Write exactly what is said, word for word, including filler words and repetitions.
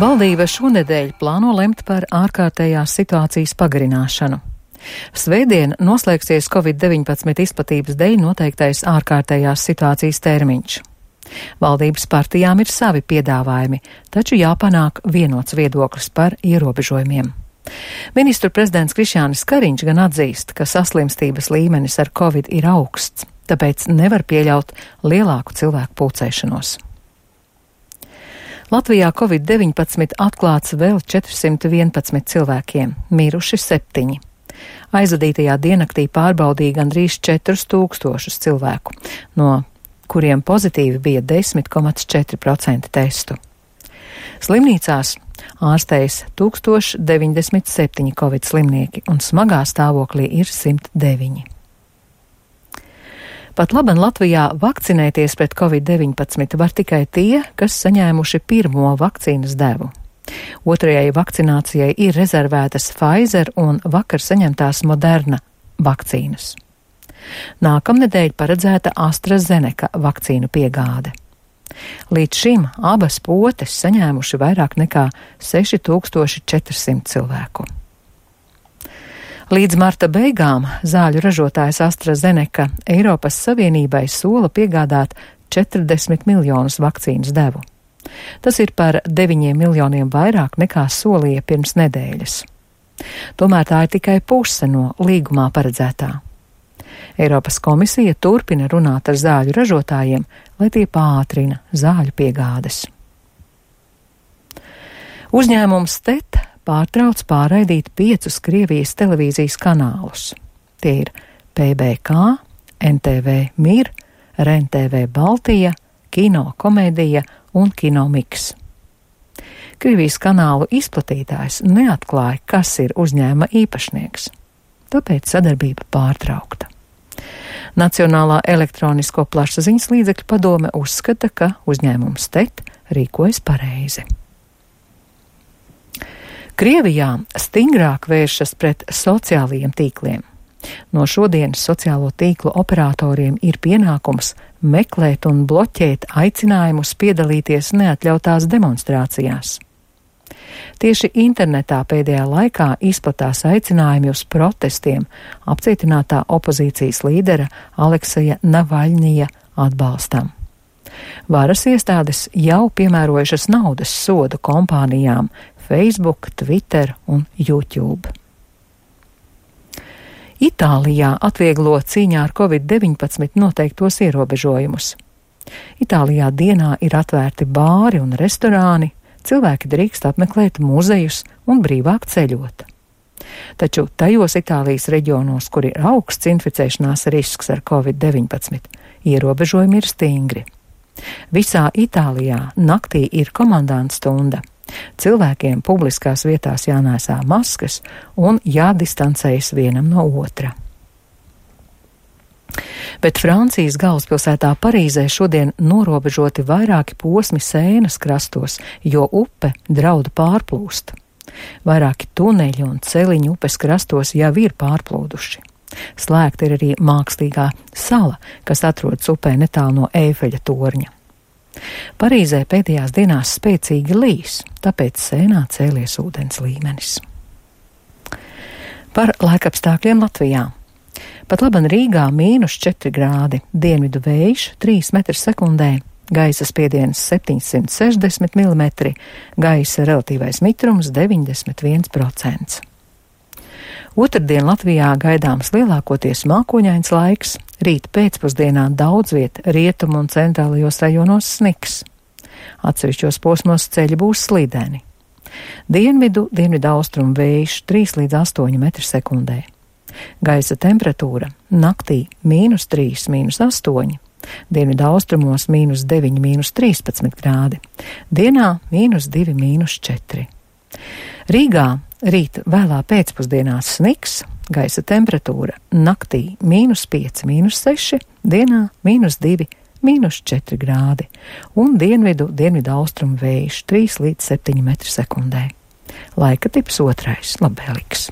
Valdība šonedēļ plāno lemt par ārkārtējās situācijas pagarināšanu. Svētdien noslēgsies covid deviņpadsmit izplatības dēļ noteiktais ārkārtējās situācijas termiņš. Valdības partijām ir savi piedāvājumi, taču jāpanāk vienots viedoklis par ierobežojumiem. Ministru prezidents Krišjānis Kariņš gan atzīst, ka saslimstības līmenis ar covid ir augsts, tāpēc nevar pieļaut lielāku cilvēku pulcēšanos. Latvijā covid deviņpadsmit atklāts vēl četrsimt vienpadsmit cilvēkiem, miruši septiņi. Aizvadītajā diennaktī pārbaudīja gandrīz četrus tūkstošus cilvēku, no kuriem pozitīvi bija desmit komats četri procenti testu. Slimnīcās ārstējas tūkstoš deviņdesmit septiņi covid slimnieki un smagā stāvoklī ir simt deviņi. Pat laban Latvijā vakcinēties pret covid deviņpadsmit var tikai tie, kas saņēmuši pirmo vakcīnas devu. Otrajai vakcinācijai ir rezervētas Pfizer un vakar saņemtās Moderna vakcīnas. Nākamnedēļ paredzēta AstraZeneca vakcīnu piegāde. Līdz šim abas potes saņēmuši vairāk nekā seši tūkstoši četri simti cilvēku. Līdz marta beigām zāļu ražotājs AstraZeneca Eiropas Savienībai sola piegādāt četrdesmit miljonus vakcīnas devu. Tas ir par deviņiem miljoniem vairāk nekā solīja pirms nedēļas. Tomēr tā ir tikai puse no līgumā paredzētā. Eiropas komisija turpina runāt ar zāļu ražotājiem, lai tie pātrina zāļu piegādes. Uzņēmums T E T pārtrauc pārraidīt piecus Krievijas televīzijas kanālus. Tie ir P B K, N T V Mir, R E N T V Baltija, Kino Komēdija un Kino Miks. Krievijas kanālu izplatītājs neatklāja, kas ir uzņēmuma īpašnieks, tāpēc sadarbība pārtraukta. Nacionālā elektronisko plašsaziņas līdzekļu padome uzskata, ka uzņēmums T E T rīkojas pareizi. Krievijā stingrāk vēršas pret sociālajiem tīkliem. No šodienas sociālo tīklu operatoriem ir pienākums meklēt un bloķēt aicinājumus piedalīties neatļautās demonstrācijās. Tieši internetā pēdējā laikā izplatās aicinājumi uz protestiem apcietinātā opozīcijas līdera Alekseja Navaļņija atbalstam. Varas iestādes jau piemērojušas naudas sodu kompānijām Facebook, Twitter un YouTube. Itālijā atvieglo cīņā ar covid deviņpadsmit noteiktos ierobežojumus. Itālijā dienā ir atvērti bāri un restorāni, cilvēki drīkst apmeklēt muzejus un brīvāk ceļot. Taču tajos Itālijas reģionos, kur ir augsts inficēšanās risks ar covid deviņpadsmit, ierobežojumi ir stingri. Visā Itālijā naktī ir komandanta stunda. Cilvēkiem publiskās vietās jānēsā maskas un jādistancējas vienam no otra. Bet Francijas galvaspilsētā Parīzē šodien norobežoti vairāki posmi Sēnas krastos, jo upe drauda pārplūst. Vairāki tuneļi un celiņi upes krastos jau ir pārplūduši. Slēgta ir arī mākslīgā sala, kas atrodas upē netālu no Eifeļa torņa. Parīzē pēdējās dienās spēcīgi līs, tāpēc Sēnā cēlies ūdens līmenis. Par laikapstākļiem Latvijā. Pat laban Rīgā mīnus četri grādi, dienvidu vējš trīs metri sekundē, gaisa spiediens septiņsimt sešdesmit milimetri, gaisa relatīvais mitrums deviņdesmit viens procents. Otrdien Latvijā gaidāms lielākoties mākoņains laiks, rīt pēcpusdienā daudz viet rietumu un centrālajos rajonos sniks. Atsevišķos posmos ceļi būs slideni. Dienvidu, dienvidu austrumu vējš trīs līdz astoņi metri sekundē. Gaisa temperatūra naktī mīnus trīs, mīnus astoņi, dienvidu austrumos mīnus deviņi, mīnus trīspadsmit grādi, dienā mīnus divi, mīnus četri. Rīgā rīt vēlā pēcpusdienā sniks, gaisa temperatūra naktī mīnus pieci, mīnus seši, dienā mīnus divi, mīnus četri grādi un dienvidu, dienvidu austrumu vējš trīs līdz septiņi metri sekundē. Laika tips otrais, labvēlīgs.